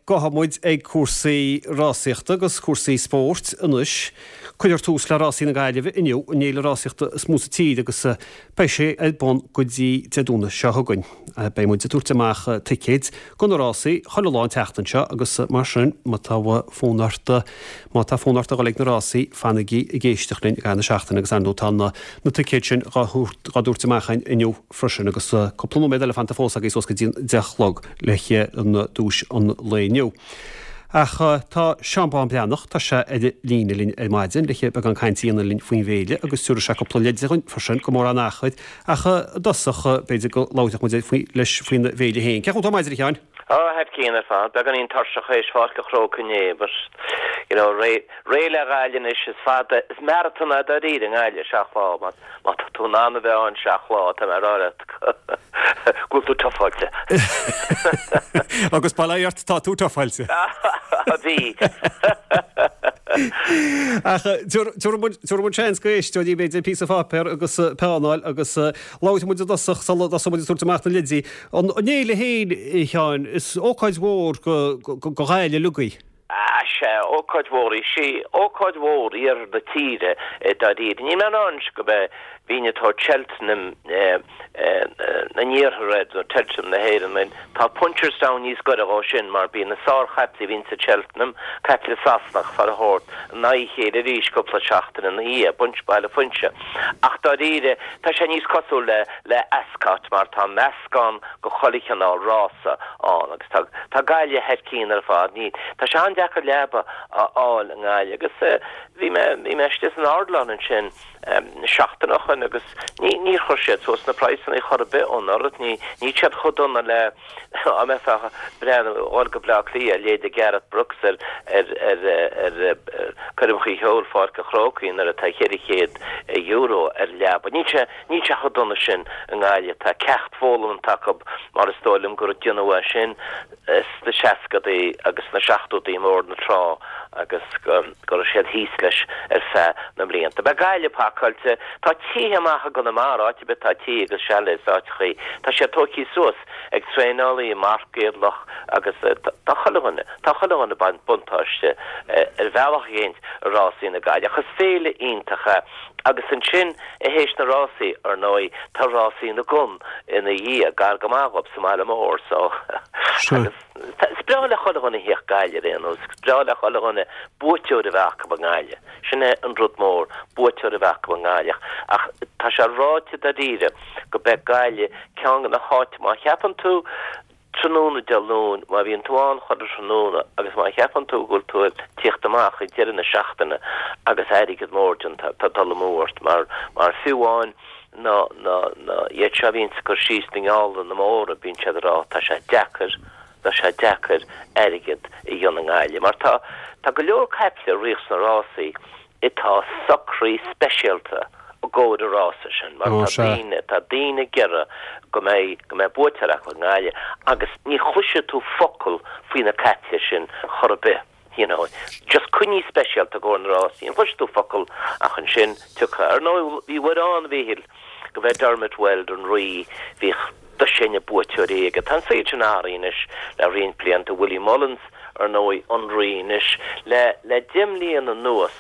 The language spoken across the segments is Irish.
Gabhfaidh muid ag cúrsaí rásaíochta agus cúrsaí spóirt anois. Cuirfear tús le Rásaí na Gaillimhe inniu, an fhéile rásaíochta is mó sa tír agus beidh sé ar bun go dtí Dé Domhnaigh seo chugainn. Beidh muid ag tabhairt amach ticéid go na rásaí chuile lá an tseachtain seo agus mar sin má tá fonn ort má tá fonn ort a dhul ag na rásaí fanaigí ag éisteacht linn i gcaitheamh na seachtaine agus ar ndóigh tá na ticéid sin dhá dtabhairt amach againn inniu freisin agus cúpla nóiméad eile fanta fós agaibh suas go dtí an 10 a chlog le an duais an lae inniu. Ach tá Seán Bán Breathnach, tá sé ar an líne linn ar maidin le beagán cainte a dhéanamh linn faoin bhféile agus tabharfaidh sé cúpla leid dhúinn freisin go mórán achair. Ach i dtosach, b'fhéidir go labharfadh muid leis faoin bhféile féin. Cén chaoi atá ar maidin, a Sheáin? Á, thar cionn ar fad. Beagáinín tuirseach théis Pháirc an Chrócaigh inné, but, you know, réidh, réidh le Gaillimh anois. Is fada, is maratón é dáiríre i nGaillimh, seacht lá. Má, má tá tú in ann a bheith ann seacht lá, tá mé ag rá leat go bhfuil tú tufáilte. Agus bail ó Dhia ort, tá tú tufáilte. Bhí. Ach tabharfaidh muid, tabharfaidh muid seans go éisteoirí, b'fhéidir, píosa pháipéar agus peann a fháil agus labharfaidh muid i dtosach sula dtosóidh muid ag tabhairt amach na leidí. An fhéile féin, a Sheáin, is ócáid mhór go Ghaillimh uilig í. Ah, sea, ócáid mhór í. Sí, ócáid mhór iarthar na tíre dáiríre. Níl mé in ann go mbeidh bhínn ag tabhairt Cheltenham na n-iarthar air, nó Cheltenham na hÉireann. I mean, tá Punchestown níos gaire dhó sin mar bíonn na sárchaiple a bhíonn sa Cheltenham, caiple Sasanach, fara shórt, in aghaidh a chéile arís cúpla seachtain ina dhiaidh, Bunch Baile Phuinse. Ach dáiríre, tá sé níos cosúil le le Ascot mar tá meascán go chuile chineál rása ann agus tá tá Gaillimh thar cionn ar fad. Ní tá sé an-deacair leaba a fháil i nGaillimh agus bhí mé bhí mé istigh san Ardilaun ansin seachtain ó shoin agus ní níor chuir siad suas na praghsanna chor ar bith ó anuraidh. Ní níl siad chomh dona le dá mbeifeá ag breathnú a dhul go Bleá Cliath, a leithéid de Gareth Brooks ar ar ar ar coirmeacha cheoil Pháirc an Chrócaigh nuair atá €400 ar leaba. Níl sé Níl sé chomh dona sin i nGaillimh. Tá ceacht foghlamtha acu mar is dóigh liom gur déanadh é sin sna seascadaí agus sna seachtódaí i mBord na Trá agus go raibh siad thíos leis ar feadh na mblianta. Beidh Gaillimh pacáilte. Tá tithe amach i gConamara, áit ar bith tá tithe agus chalets áiteachaí. Tá siad tógtha suas ag traenálaí Marc Géadlach agus tá chuile dhuine, tá chuile dhuine ag baint buntáiste ar bhealach éicint i rásaí na Gaillimhe. Ach is féile iontach é. Agus ansin, théis na rásaí, ar ndóigh, tá rásaí na gcon ina dhiaidh, gar go maith dhób sa mbaile mór, so, agus is breá le chuile dhuine a thíocht Gaillimh ar aon nós, is breá le chuile dhuine buaiteoir a bheith acu i nGaillimh. Sin é an rud mór, buaiteoir a bheith acu i nGaillimh. Ach tá sé ráite dáiríre go beidh Gaillimh ceann de na háiteanna, má cheapann tú, Tráthnóna Dé Luain, má bhíonn tú ann chuile thráthnóna agus má cheapann tú go bhfuil tú ag tíocht amach ag deireadh na seachtaine agus airgead mór déanta, tá dul amú ort mar, mar fiú amháin na, na, na, iad seo a bhíonns ag cur síos na ngeálanna móra, bíonn siad ag rá tá sé deacair, tá sé deacair airgead a dhéanamh i nGaillimh mar tá, tá go leor caiple a ríoch sna rásaí atá socraithe speisialta i gcomhair an rása sin mar tá daoine, tá daoine ag iarraidh go mbeidh, go mbeidh buaiteoir acu i nGaillimh agus ní chloisfidh tú focal faoi na caiple sin chor ar bith, you know, just coinnithe speisialta i gcomhair na rásaí, ní chloisfidh tú focal ach ansin tiocfaidh. Ar ndóigh bhí uair ann, a Mhíchíl, go b'é Dermot Weld an rí, bhíodh dosaen buaiteoirí aige. Tá an saol sin athraithe anois le roinnt blianta, Willie Mullins, ar ndóigh, an rí anois. Le le deich mbliana anuas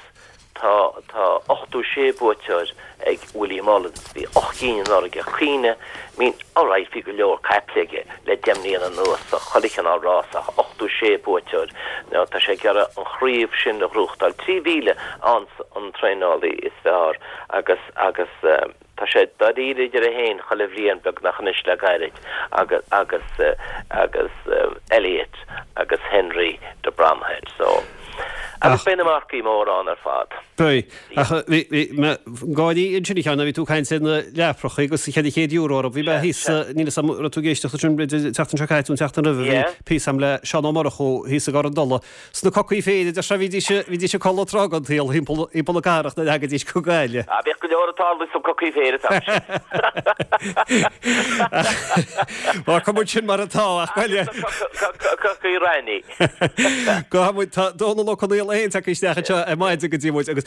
tá tá 86 buaiteoir ag Willie Mullins. Bhí 8 gcinn anuraidh ach cuimhnigh, I mean, alright, bhí go leor caiple aige le deich mbliana anuas sa chuile chineál rás ach 86 buaiteoir, now tá sé ag iarraidh an chraobh sin a ghnóthachtáil. 3,000 ann an traenálaí is fearr agus agus tá sé dáiríre idir é féin chuile bhliain beagnach anois le gairid agus agus agus Elliott agus Henry de Bromhead so agus beidh na marcaí móra ann ar fad. Beidh. Ach bhí bhí mé ag gáirí ansin a Sheáin bhí tú ag caint ar na leaprachaí agus €400 orthu. Bhí mé thíos níl a fhios agam raibh tú ag éisteacht leis sin b'fhéidir an tseachtain seo caite nó an tseachtain roimhe bhí píosa agam le Seán Ó Murchú thíos i gCorr an Dola Sna cocaí féin, a deir sé, bhídís, bhídís ag codladh tráth den tsaol thimpeall, thimpeall na cathrach nuair a thagaidís go Gaillimh. Ah, bhíodh go leor ag tarlú sna cocaí féin an t-am sin. Fágfaidh muid sin mar atá, ach Gaillimh. Cocaí raithní. Gabhfaidh muid, tá Dónal Ó Conaill. Dónal é féin tagtha isteach anseo ar maidin go dtí muid agus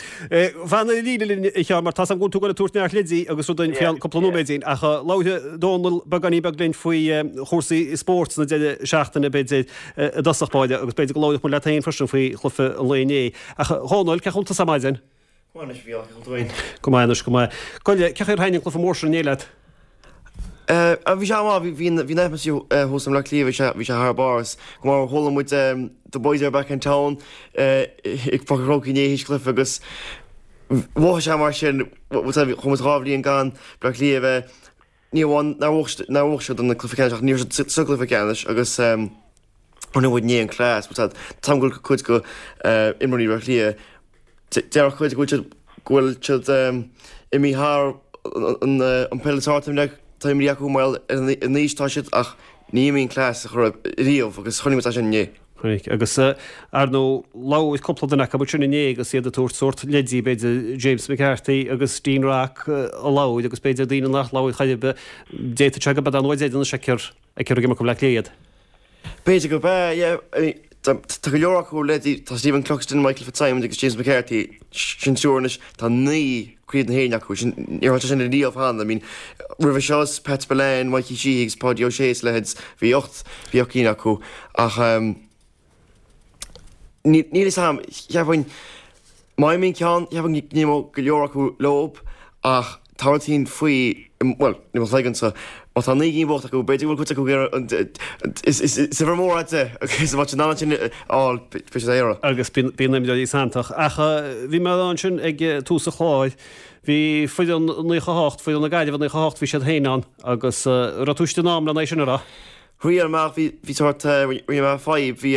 fan ar an líne linn a Sheáin mar tá's agam go bhfuil tú ag goil ag tabhairt neart leidí agus rud dúinn faoi cheann cúpla nóiméidín ach labharfaidh Dónal beagáinín beag linn faoi chúrsaí spóirt sna deireadh seachtaine b'fhéidir i dtosach báire agus b'fhéidir go labharfadh muid leat féin freisin faoi chluiche an lae inné. Ach a Dhónaill, cén chaoi a bhfuil tusa ar maidin? Go maith anois, a Mhícheáil, cén chaoi a bhfuil tú féin? Go maith anois, go maith. Gabh i leith, cén chaoi ar thaitin an cluiche mór sin inné leat? Bhí sé an-mhaith, bhí an atmaisféar thuas i mBleá Cliath, bhí sé, bhí sé thar barr. Is go maith mar chuala muid The Boys Are Back in Town ag Páirc an Chrócaigh inné théis cluiche agus mhothaigh sé mar sin, chuaigh muid 2 bhliain gan Bleá Cliath a bheith, ní amháin nár bhuaigh siad an cluiche ceannais ach ní raibh siad sa gcluiche ceannais agus chonaic muid inné an class, tá 'fhios a'm go bhfuil cuid de imreoirí Bhaile Átha Cliath, Déarfadh cuid go bhfuil siad go bhfuil siad imithe thar an peil is fearr atá imeartha acu mar gheall ar an aois atá siad ach ní imíonn class ar chor ar bith riamh agus chonaic muid é sin inné. Chonaic. Agus ar ndóigh labhair cúpla duine acu ansin inné agus iad ag tabhairt sórt leidí b'fhéidir James McCarthy agus Dean Rock a labhair agus b'fhéidir daoine nach labhair chor ar bith. D'fhéadfadh sé go mbeadh an uair dheireanach a fheicfear ag imirt do Bhleá Cliath iad. B'fhéidir gurb ea, yeah. I mean, tá go leor acu leithéidí, tá Stephen Cluxton, Michael Fitzsimons agus James McCarthy, sin triúr anois, tá 9 Craobh na hÉireann acu, sin, níor tharla sé sin riamh cheana, I mean, roimhe seo is Pat Spillane, Mikey Sheehy agus Páidí Ó Sé is a leithéid, bhí 8, bhí 8 cinn acu ach ehm, níl fhios a'm, cheapfainn, má imíonn ceann, cheapfainn go n-imeodh go leor acu leob ach tá rud éicint faoi, bhuel, i mo chloigeannsa, má tá 9 gcinn buachta acu, b'fhéidir go bhfuil cuid acu ag iarraidh, is uimhir mhór é 10 agus má tá siad in ann sin a fháil, beidh siad á iarraidh. Agus bíonn imreoirí santach. Ach bhí mé ansin ag tús an chláir, bhí foireann 98, foireann na Gaillimhe 98, bhí siad féin ann agus raibh tú istigh in am lena aghaidh sin, an raibh? Riail amach, bhí, bhí sórt, rinne mé fadhb, bhí,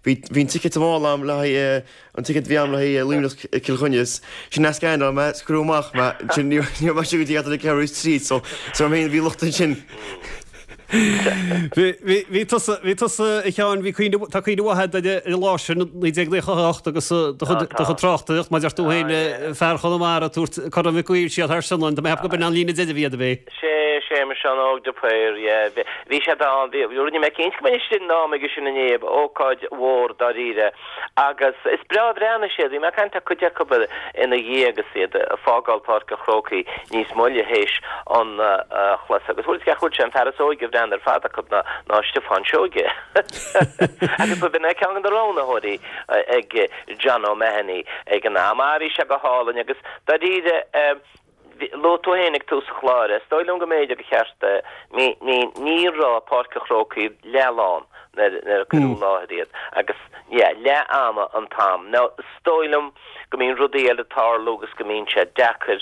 bhí, bhí an ticket amháin a'm le haghaidh, an ticket a bhí a'm le haghaidh Luimneach Cill Chainnigh is sin a scannáil mé is cuireadh amach mé, ansin ní raibh, ní raibh mé istigh go dtí thart ar ceathrú is trí so, so mé féin bhí locht ansin. Bhí, bhí, bhí tusa, bhí tusa a Sheáin, bhí cuimhne, tá cuimhne mhaith a'd ar an lá sin, 1998 agus do chuid, do chuid tráchtaireacht, mar a deir tú féin, fear Chonamara ag tabhairt Corn Mhic Uidhir siar thar Sionainn, tá mé ag ceapadh go b'in an líne deiridh a bhí a'd, ab é? Sé, Séamus Seán Óg de Paor, yeah. Bhí, bhí siad ann, bhí, rinne mé cinnte go mbeinn istigh in am aige sin inné, ócáid mhór dáiríre. Agus is breá a bhreathnaigh siad, bhí mé ag caint le cuid acu ina dhiaidh agus iad ag fágáil Páirc an Chrócaigh níos moille théis an chluiche agus bhfuil a fhios agat cé an fear is óige a bhreathnaigh ar fad acu ná, ná Stiofán Seoige. Agus ba b'in é ceann de na roghnaitheoirí ag John O'Mahony ag an am. Ah, bhí sé go hálainn agus dáiríre, Luaigh tú féin ag tús an chláir, is dóigh liom go mb'fhéidir gur cheart, ní, ní, ní raibh Páirc an Chrócaigh leathlán nuair, nuair a cuireadh i láthair iad agus, yeah, leath ama an t-am. Now, is dóigh liom go mbíonn rudaí eile ag tarlú agus go mbíonn sé deacair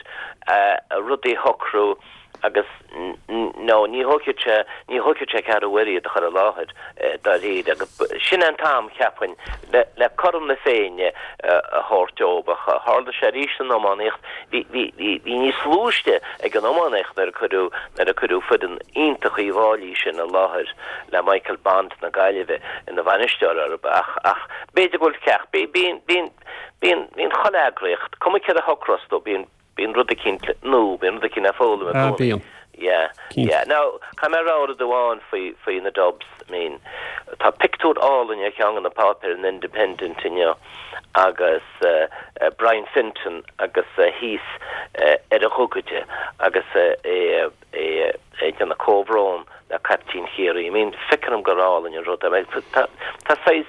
rudaí a shocrú agus nó ní thógfaidh sé, ní thógfaidh sé ceathrú uaire iad a chur i láthair dáiríre agus sin é an t-am, cheapfainn, le, le cothrom na Féinne a thabhairt dóibh ach tharla sé arís san iománaíocht, bhí, bhí, bhí, bhí níos lú istigh ag an iománaíocht nuair a cuireadh, nuair a cuireadh foireann iontach Uíbh Fháilí sin i láthair le Michael Bond na Gaillimhe ina bhainisteoir orthu ach, ach b'fhéidir go bhfuil ceacht, bí, bíonn, bíonn, bíonn, bíonn chuile eagraíocht, cuma céard a shocrós tú, bíonn, Bíonn rud eicínt nua, bíonn rud eicínt le foghlaim i Ah, gcónaí. bíonn. Yeah, Cinnte. yeah. Now, caithfidh mé a rá rud amháin faoi, faoi na Dubs. I mean, tá pictiúr álainn ar cheann de na páipéir, an Independent inniu, agus eh, Brian Fenton agus é thíos eh, ar a ghogaide agus eh, é, é ag déanamh comhbhrón le caiptín Chiarraí. I mean, feictear dom gur álainn an rud é. Tá, tá saghas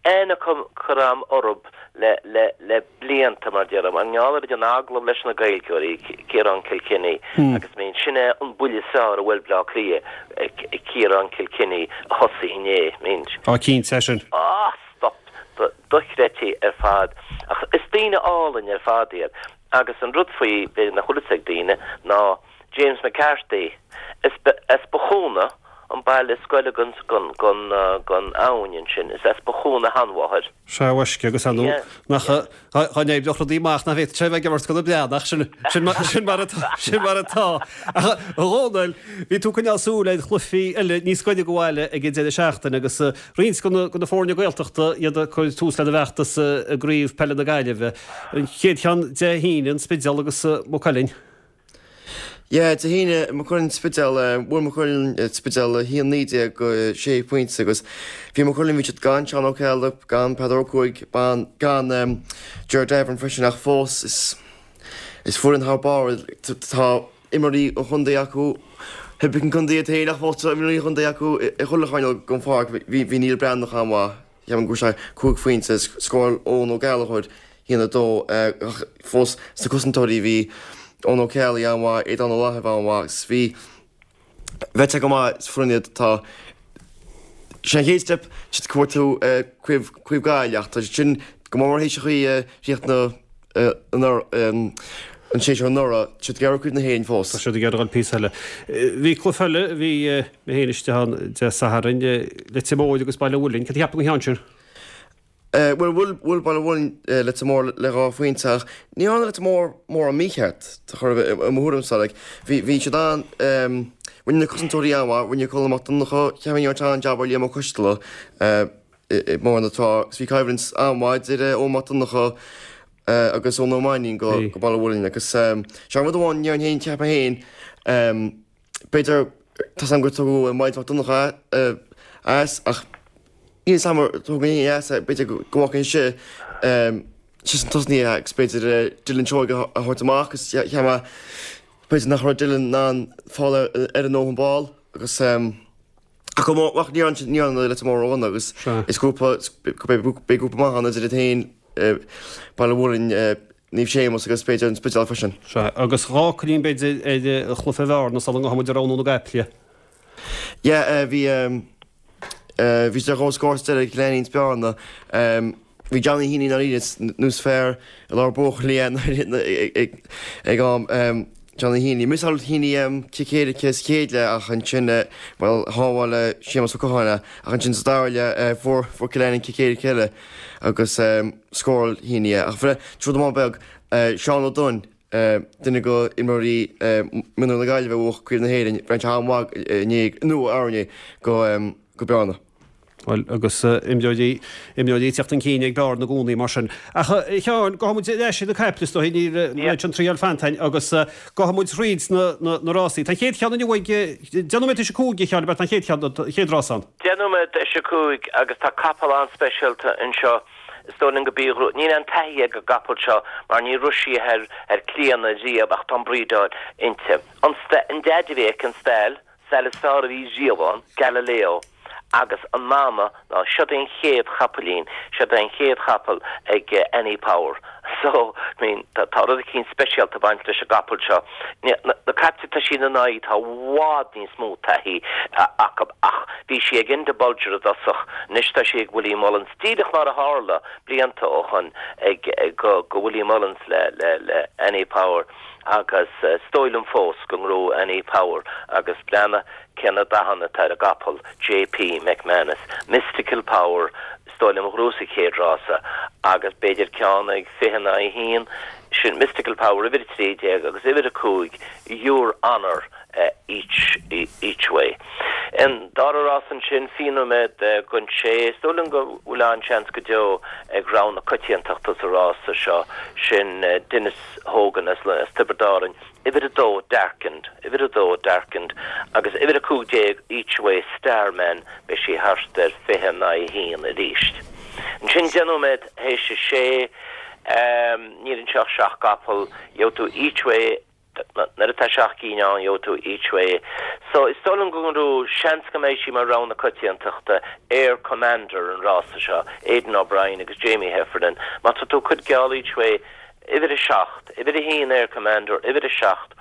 aithne curtha a'm orthub le, le, le blianta, mar déarfá, mar gheall ar an agallamh leis na Gaeilgeoirí, Ciarán Kilkenny, agus I mean, sin é an buille is fearr a bhuail Bleá Cliath, Ciarán Kilkenny a thosaigh inné, I mean. Á, cinnte, é sin. Á, stop! Dochreidte ar fad. Ach is daoine álainn ar fad iad. Agus an rud faoi, b'fhéidir nach bhfuil fhios ag daoine, ná James McCarthy, is as Bothúna, an baile is gaire gon, gon, gon, gon abhainn ansin, is as Bothúna a sheanmháthair. Sea, a mhaisce, agus ar ndóigh, nach, dá n-oibreodh rudaí amach nach bhféadfadh sé a bheith ag imirt do na Breatnaigh, sin, sin mar, sin mar atá, sin mar atá. Ach, a Dhónaill, bhí tú ag coinneáil súil ar chluichí eile níos gaire do bhaile ag an deireadh seachtaine agus roinnt de na, de na foirne Gaeltachta, iad ag cur tús lena bhfeachtas i gCraobh Peile na Gaillimhe. An chéad cheann Dé hAoine, an Spidéal agus Maigh Cuilinn. Yeah, Dé hAoine, Maigh Cuilinn Spidéal, bhuail Maigh Cuilinn Spidéal 1-19 go 6 phointe agus bhí Maigh Cuilinn, bhí siad gan Seán Ó Ceallaigh, gan Peadar Ó Cuaig, gan Ger Davern freisin ach fós is is foireann thar barr tá imreoirí an chontae acu, thuig an contae iad féin ach fós tá imreoirí an chontae acu i chuile choirnéal den pháirc, bhí Neil Breathnach an-mhaith. Ceapaim go raibh sé 5 phointe, scóráil Eoin Ó Gallchóir 1-2 ach fós sna cosantóirí bhí Eoin Ó Ceallaigh an-mhaith, Aodán Ó Lathaimh an-mhaith agus bhí bheadh go maith is foireann iad tá sé an chéad step siad cuartú Craobh Craobh Gaillimh ach tá siad sin go mór mór théis an chaoi a chríochnaigh an séasúr anuraidh, tá siad ag iarraidh Craobh na hÉireann fós. Tá siad ag iarraidh dul píosa eile. Bhí cluiche eile, bhí mé féin istigh ann Dé Sathairn, Leitir Móir agus Baile Mhuilinn. Cad a cheap tú den cheann sin? Bhuel, bhuail, bhuail Baile Mhuilinn Leitir Móir le dhá phointe ach ní dhearna Leitir Móir mórán mícheart, chor ar bith, i mo thuairimse. Like, bhí, bhí siad an, rinne na cosantóirí an-mhaith, rinne Colm Mac Donncha, cheapfainn go ndearna sé an-jab ar Liam Ó Coisteala, i mbarr na trá agus bhí coimhlint an-mhaith idir Eoin Mac Donncha agus Eoin Ó Mainnín go Baile Mhuilinn agus sé an rud amháin déarfainn féin cheapfainn féin b'fhéidir tá 's agam gur tugadh Myles Mac Donncha as ach níl 's agam ar tugadh éinne as b'fhéidir go bhfágfainn sé sna tosnaithe agus b'fhéidir Dylan Seoige a thabhairt amach agus cheap mé b'fhéidir nach raibh Dylan in ann fáil ar a ndóthain ball agus Ach go mór, ach ní dhearna Leitir Móir ródhona agus is grúpa, beidh grúpa maith ann idir iad féin, Baile Mhuilinn, Naomh Séamus agus b'fhéidir an Spidéal freisin. Sea, agus dhá fhocailín b'fhéidir ar chluiche Bhearna sula ngabhfaidh muid ag roghnú na gcaiple. Yeah, bhí, bhí sé ar chomhscór sa deireadh ag Cill Ainnín 's Bearna. Bhí Johnny Heaney ndáiríre nós fear i lár buachaillí ag am Johnny Heaney. Mhiossáil Heaney cic éirice sa chéad leath ach ansin, bhuel, shábháil Séamus Ó Catháin é ach ansin sa dara leath fuair Cill Ainnín cic éirice eile agus scóráil Heaney é. Ach rud amháin beag, Seán Ó Duinn, duine de imreoirí mionúir na Gaillimhe a bhuaigh Craobh na hÉireann, bhreathnaigh sé an-mhaith inné, nó aréir go Bearna. Bhuel, agus imreoirí, imreoirí ag teacht chun cinn ag Bearna i gcónaí mar sin. Ach, a Sheáin, gabhfaidh muid ar ais ar na caiple is dóigh, níl an méid sin triail fanta againn agus gabhfaidh muid thríd na, na, na rásaí. Tá an chéad cheann inniu ag deich nóiméad théis a 5, a Sheáin, ab ea? Tá an chéad cheann, an chéad rás ann. Deich nóiméad théis a 5 agus tá capall an-speisialta anseo. Is dóigh liom go bí, níl aon taithí ag an gcapall seo mar ní raibh sí ar, ar Clíodhna riamh ach tá an brídeáil inti. An, an deaid a bhí aici, an stail, Stail is fearr a bhí riamh ann, Galileo, agus an mama ná siod é an chéad chapaillín, siod é an chéad chapall ag Annie Power. So, I mean, tá, tá rud eicínt speisialta ag baint leis an gcapall seo. Na, na caiple atá sí ina n-aghaidh, tá i bhfad níos mó taithí acu ach bhí sí ag Enda Bolger i dtosach, anois tá sí ag Willie Mullins, díreach mar a tharla blianta ó shoin ag, go, go Willie Mullins le, le, le Annie Power. Agus is dóigh liom fós go ngnóthóidh Annie Power agus breathnaigh cé na dathanna atá ar an gcapall, JP McManus, Mystical Power, is dóigh liom a ghnóthós an chéad rása agus b'fhéidir ceann ag 20 in aghaidh 1, sin Mystical Power uimhir 13 agus uimhir 5 Your Honour each each way. An dara rás ansin, 20 nóiméad don sé, is dóigh liom go bhfuil an-seans go deo ag rogha na coitiantachta sa rása seo, sin Denis Hogan as Tiobraid Árann, uimhir 2 Darkened, uimhir 2 Darkened agus uimhir 15 Each Way Starman, beidh sí thart ar 20 in aghaidh 1 arís. Ansin 10 nóiméad théis a sé, níl anseo ach seacht gcapall, gheobhaidh tú Each Way, Nuair atá seacht gcinn ann, gheobhaidh tú Each Way. So, is dóigh liom go ngnóthóidh, seans go mbeidh sí mar rogha na coitiantachta, Air Commander an rása seo, Aidan O'Brien agus Jamie Heffernan. Má tá tú cuid geall Each Way, uimhir a seacht, uimhir a haon Air Commander, uimhir a seacht,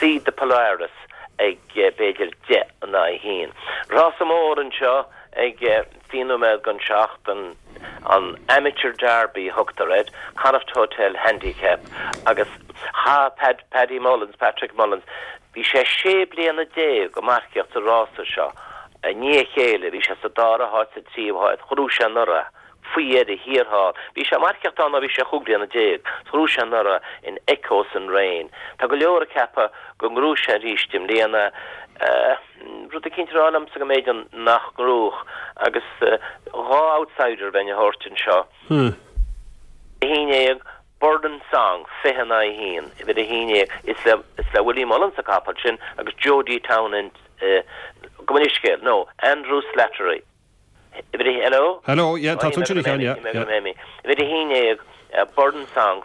Seed the Polaris ag b'fhéidir 10 in aghaidh a haon. Rása mór anseo ag 20 nóiméad don seacht, an an Amateur Derby a thugtar air, Connacht Hotel Handicap, agus chaith Pad, Paddy Mullins, Patrick Mullins, bhí sé sé bliana déag ag marcaíocht sa rása seo i ndiaidh a chéile, bhí sé sa dara háit, sa tríú háit, ghnóthaigh sé anuraidh, faoi dheireadh thiar thall. Bhí sé ag marcaíocht ann ó bhí sé chúig bliana déag, ghnóthaigh sé anuraidh in Echoes and Rain. Tá go leor ag ceapadh go ngnóthóidh sé arís i mbliana. Rud eicínt ag rá liomsa go mb'fhéidir nach ngnóthódh agus dhá outsider bheinn a thabhairt anseo. 11. Burden Song, 20 in aghaidh 1, uimhir 11, is le, is le Willie Mullins an capall sin agus Jody Townend, gabh mo leithscéal, no, Andrew Slattery, uimhir a, hello? Hello, yeah, tá tú ansin a Sheáin, yeah, yeah. Uimhir 11, Burden Song,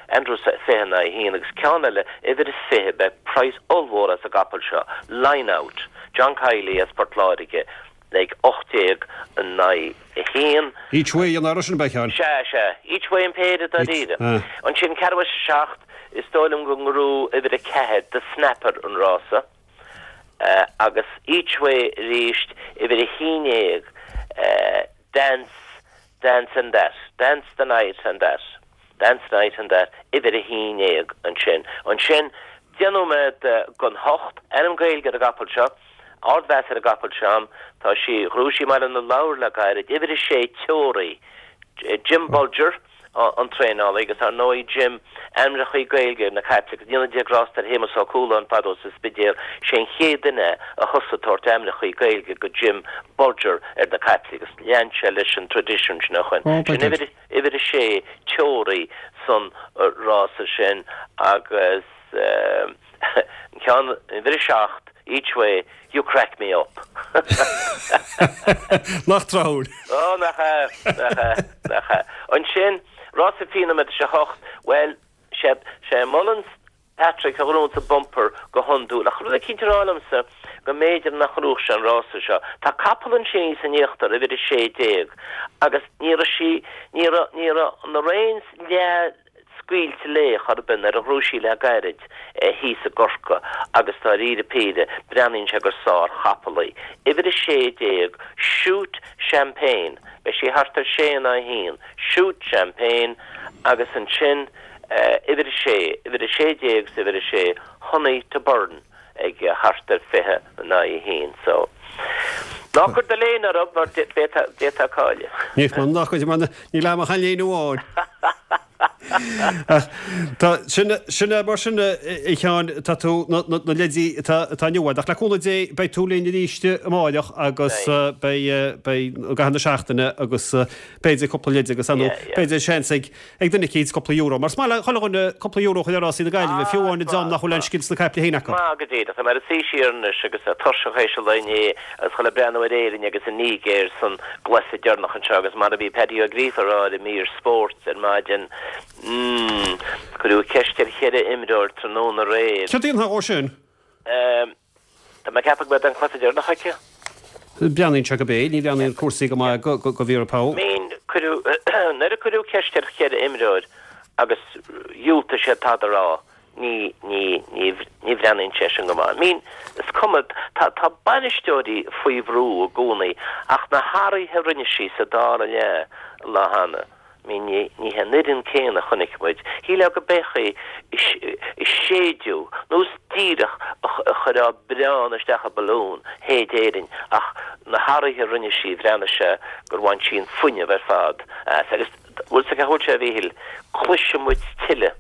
Andrew, 20 in aghaidh 1, agus ceann eile, uimhir 20, beidh praghas ollmhór as an gcapall seo, Line Out, John Kiely as Port Láirge, ag 18 in aghaidh 1. Each way an uair sin, ab ea, a Sheáin? Sea, sea. Each way an péire dáiríre. Ansin ceathrú théis a 7, is dóigh liom go ngnóthóidh uimhir 4, The Snapper an rása. Agus each way arís, uimhir 11, Dance, Dance and That, Dance the Night and That, Dance the Night and That, uimhir 11 ansin. Ansin, 10 nóiméad don hocht, ainm Gaeilge ar an gcapall seo, ardmheas ar an gcapall seo a'm, tá sí, ghnóthaigh sí i mBaile na Lobhar le gairid, uimhir 6, Teoraí, Jim Bolger an traenálaí agus ar ndóigh Jim, ainmneachaí Gaeilge ar na caiple, go ndéana Dia grásta ar Shéamus Ó Cualáin fadó sa Spidéal, sé an chéad duine a thosaigh ag tabhairt ainmneachaí Gaeilge go Jim Bolger ar na caiple agus lean sé leis an tradition sin ó shoin. Sin uimhir, uimhir a sé, Teoraí san rása sin agus an ceann, uimhir a 7, Each Way, You crack me up. Nach tráthúil. Ó, nach ea, nach ea, nach ea. Ansin, rása 20 nóiméad théis a hocht, bhuel, sé, sé Mullins Patrick a ghnóthaíonn an bumper go hiondúil. Ach rud eicínt ag rá liomsa go mb'fhéidir nach ngnóthódh sé an rása seo. Tá capall ansin thíos in íochtar, uimhir 16, agus ní raibh sí, ní raibh, ní raibh na reins leath, scaoilte léi chor ar bith nuair a ghnóthaigh sí le gairid thíos i gCorcaigh agus dáiríre píre breathnaíonn sé gur sár-chapall í. Uimhir 16, Shoot Champagne, beidh sí thart ar 6 in aghaidh 1, Shoot Champagne agus ansin uimhir 6, uimhir 16 is uimhir 6, Honey to Burn. ag thart ar 20 in aghaidh 1. So, ná cuir do léine orthu mar d'fhéadfá cailleadh. Ní ná cuir mar níl a'm ach an léine amháin. Ach tá sin sin é mar sin a Sheáin tá tú na na leidí atá atá inniu a'd ach le cúnamh Dé beidh tú linn arís amáireach agus beidh beidh i gcaitheamh na seachtaine agus b'fhéidir cúpla leid agus ar ndóigh b'fhéidir seans ag ag duine eicínt cúpla euro. Mar is maith le chuile dhuine cúpla euro a chur ar rásaí na Gaillimhe, fiú amháin an dream nach bhfuil aon scil sna caiple féin acu. Maith go díreach. Tá mé ar a suí siar anois agus tuirseach théis an lae inné agus chuile breathnú ar Éirinn agus an Nigéir san gcluiche deireanach anseo agus mar a bhí Paddy Ó Gríofa a rá ar an mír spóirt ar maidin, mm, cuireadh ceist ar cheithre imreoir tráthnóna aréir. Céard a dhéanfá dhó sin? Tá mé ag ceapadh go mbeidh an cluiche deireanach aici. Breathnaíonn sé go bé, ní bhreathnaíonn cúrsaí go maith go Vera Pauw. Mean, cuireadh, nuair a cuireadh ceist ar cheithre imreoir agus dhiúltaigh siad tada a rá, ní, ní, ní, ní bhreathnaíonn sé sin go maith. Mean, is cuma, tá, tá bainisteoirí faoi bhrú i gcónaí ach na hathruithe a rinne sí sa dara leath an lá cheana, Mean, ní hé an fhoireann céanna a chonaic muid. Shílfeá go b'é í a séideadh, nós díreach a chuirfeá biorán isteach i balún, shéid Éirinn, ach na hathruithe a rinne sí, bhreathnaigh sé gur bhain sí an fuinneamh ar fad as. Agus bhfuil 's agat cá bhfuil sé, a Mhíchíl, cloisfidh muid tuilleadh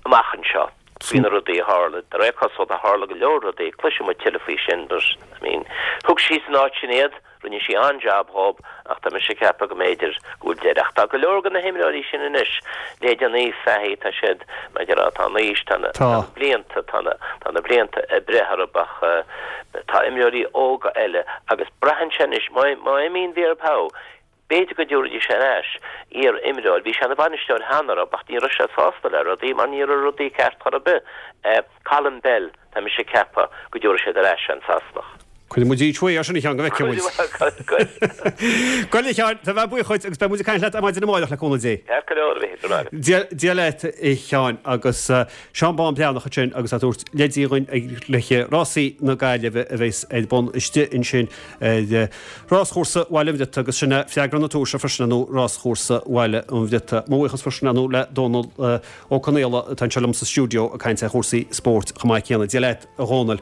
amach anseo faoi na rudaí a tharla. De réir cosúlachta, tharla go leor rudaí, cloisfidh muid tuilleadh faoi sin, but, I mean, thug sí san áit sin iad. Rinne sí an-jab dhób ach tá mise ag ceapadh go mb'fhéidir go bhfuil deireadh. Ach tá go leor de na himreoirí sin anois, leithéid an Niamh Fahey, tá siad, mar a déarfá, tá an aois, tá na, tá na blianta, tá na, tá na blianta ag breith orthu ach tá imreoirí óga eile agus braitheann sé anois, má, má imíonn Vera Pauw, b'fhéidir go dtabharfaidís ar ais iar-imreoir, bhí sé ina bhainisteoir cheana orthu ach ní raibh sé sásta le rudaí mar ní raibh rudaí ceart chor ar bith. Colin Bell, tá mise ag ceapadh go dtabharfaidh siad ar ais an Sasanach. Cuirfidh muid each way air sin a Sheáin go bhfeicfidh muid. Go a Sheáin, tá bheith buíoch dhuit agus beidh muid ag caint leat ar maidin amáireach le cúnamh Dé. Ceart go leor, a Mhíchíl, go raibh maith agat. Dia leat a Sheáin agus Seán Bán Breathnach ansin agus é ag tabhairt leidí dhuinn ag cluiche rásaí na Gaillimhe a bheas ar bun istigh ansin ar ráschúrsa Bhaile an Bhriotaigh agus sin é freagra na tomhaise freisin ar ndóigh ráschúrsa Bhaile an Bhriotaigh. Mo bhuíochas freisin ar ndóigh le Dónal Ó Conaola atá anseo liom sa stiúideo ag caint ar chúrsaí spóirt chomh maith céanna. Dia leat a Dhónaill.